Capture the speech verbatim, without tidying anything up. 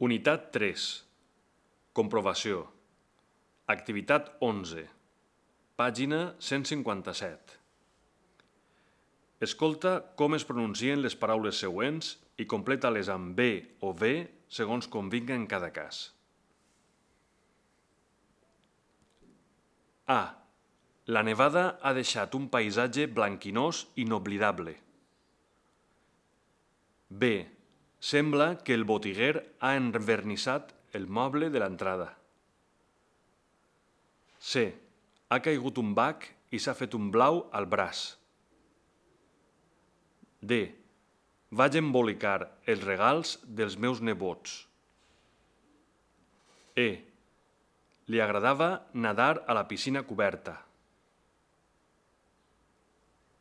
Unitat tres. Comprovació. Activitat onze. Pàgina cent cinquanta-set. Escolta com es pronuncien les paraules següents i completa-les amb bé o ve segons convinga en cada cas. A. La nevada ha deixat un paisatge blanquinós inoblidable. B. Sembla que el botiguer ha envernissat el moble de l'entrada. C. Ha caigut un bac i s'ha fet un blau al braç. D. Vaig embolicar els regals dels meus nebots. E. Li agradava nadar a la piscina coberta.